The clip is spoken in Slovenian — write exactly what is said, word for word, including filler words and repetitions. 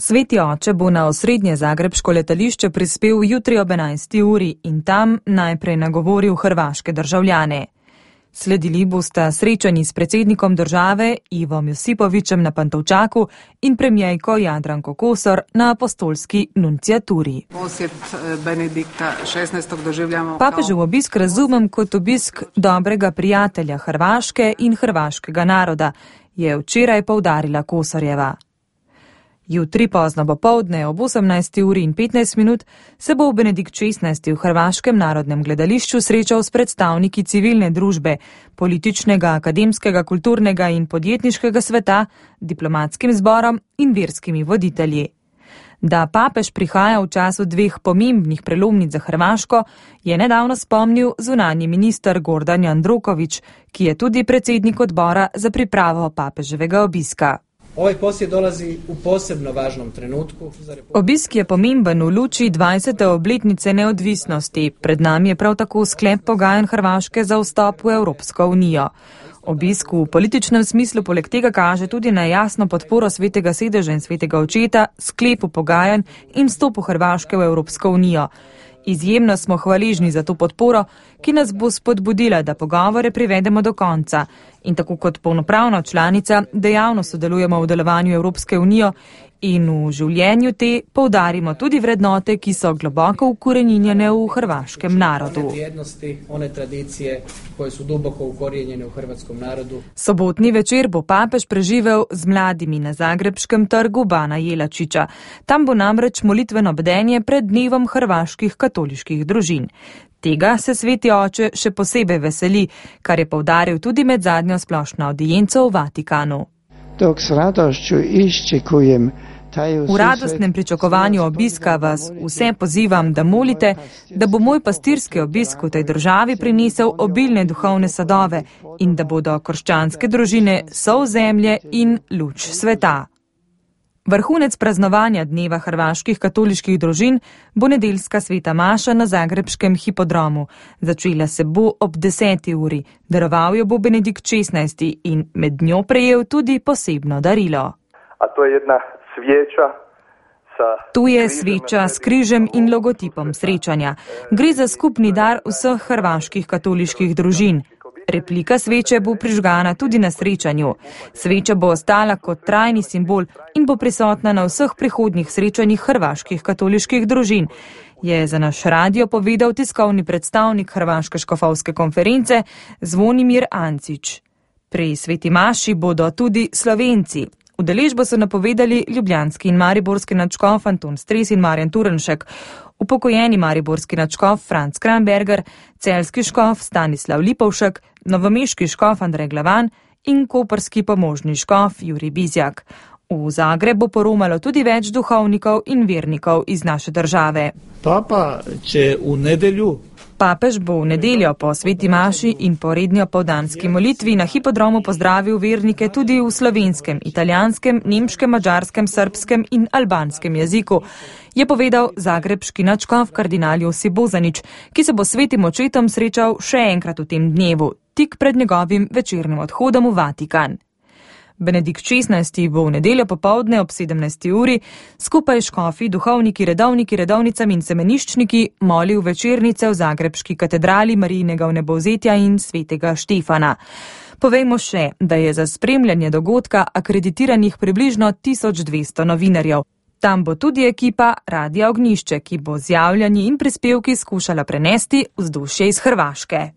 Sveti oče bo na osrednje zagrebško letališče prispel jutri ob enajsti uri in tam najprej nagovoril hrvaške državljane. Sledili bosta srečanji s predsednikom države Ivom Josipovićem na Pantovčaku in premijejko Jadranko Kosor na apostolski nunciaturi. Posjet Benedikta šestnajstega doživljamo. Papežev obisk razumem kot obisk dobrega prijatelja Hrvaške in hrvaškega naroda, je včeraj poudarila Kosorjeva. Jutri pozno popoldne ob osemnajsti uri in petnajst minut se bo Benedikt šestnajsti v Hrvaškem narodnem gledališču srečal s predstavniki civilne družbe, političnega, akademskega, kulturnega in podjetniškega sveta, diplomatskim zborom in verskimi voditelji. Da papež prihaja v času dveh pomembnih prelomnic za Hrvaško, je nedavno spomnil zunanji minister Gordan Jandroković, ki je tudi predsednik odbora za pripravo papeževega obiska. Ovaj posjet dolazi u posebno važnom trenutku. Obisk je pomemben v luči dvajsete obletnice neodvisnosti. Pred nami je prav tako sklep pogajanj Hrvaške za vstop v Evropsko unijo. Obisk v političnem smislu poleg tega kaže tudi na jasno podporo Svetega sedeža in Svetega očeta, sklepu pogajanj in vstopu Hrvaške v Evropsko unijo. Izjemno smo hvaležni za to podporo, ki nas bo spodbudila, da pogovore privedemo do konca in tako kot polnopravna članica dejavno sodelujemo v delovanju Evropske unije in v življenju te poudarimo tudi vrednote, ki so globoko ukoreninjene v hrvaškem narodu. One vrijednosti, one tradicije, koje su duboko ukorijenjene v hrvatskom narodu. Sobotni večer bo papež preživel z mladimi na zagrebškem trgu Bana Jelačića. Tam bo namreč molitveno bdenje pred dnevom hrvaških katoliških družin. Tega se sveti oče še posebej veseli, kar je poudaril tudi med zadnjo splošno audienco v Vatikanu. Dok s radošću iščekujem V radostnem pričakovanju obiska vas vse pozivam, da molite, da bo moj pastirski obisk v tej državi prinesel obilne duhovne sadove in da bodo krščanske družine sol zemlje in luč sveta. Vrhunec praznovanja dneva hrvaških katoliških družin bo nedeljska sveta maša na zagrebškem hipodromu. Začela se bo ob deseti uri. Daroval jo bo Benedikt šestnajsti in med njo prejel tudi posebno darilo. A to je jedna sveča sa... Tu je sveča s križem in logotipom srečanja. Gre za skupni dar vseh hrvaških katoliških družin. Replika sveče bo prižgana tudi na srečanju. Sveča bo ostala kot trajni simbol in bo prisotna na vseh prihodnjih srečanjih hrvaških katoliških družin, je za naš radio povedal tiskovni predstavnik Hrvaške škofovske konference Zvonimir Ancić. Pri sveti maši bodo tudi Slovenci. Udeležbo so napovedali ljubljanski in mariborski nadškof Anton Stres in Marjan Turnšek, upokojeni mariborski nadškof Franc Kramberger, celjski škof Stanislav Lipovšek, novomeški škof Andrej Glavan in koprski pomožni škof Jurij Bizjak. V Zagreb bo poromalo tudi več duhovnikov in vernikov iz naše države. Papa će u nedelju Papež bo v nedeljo po sveti maši in po redni opoldanski molitvi na hipodromu pozdravil vernike tudi v slovenskem, italijanskem, nemškem, madžarskem, srbskem in albanskem jeziku, je povedal zagrebški nadškof kardinal Josip Bozanić, ki se bo s svetim očetom srečal še enkrat v tem dnevu, tik pred njegovim večernim odhodom v Vatikan. Benedikt šestnajsti bo v nedeljo popoldne ob sedemnajsti uri skupaj škofi, duhovniki, redovniki, redovnicami in semeniščniki molil večernice v zagrebški katedrali Marijinega vnebovzetja in svetega Štefana. Povejmo še, da je za spremljanje dogodka akreditiranih približno tisoč dvesto novinarjev. Tam bo tudi ekipa Radia Ognjišče, ki bo z javljanji in prispevki skušala prenesti vzdušje iz Hrvaške.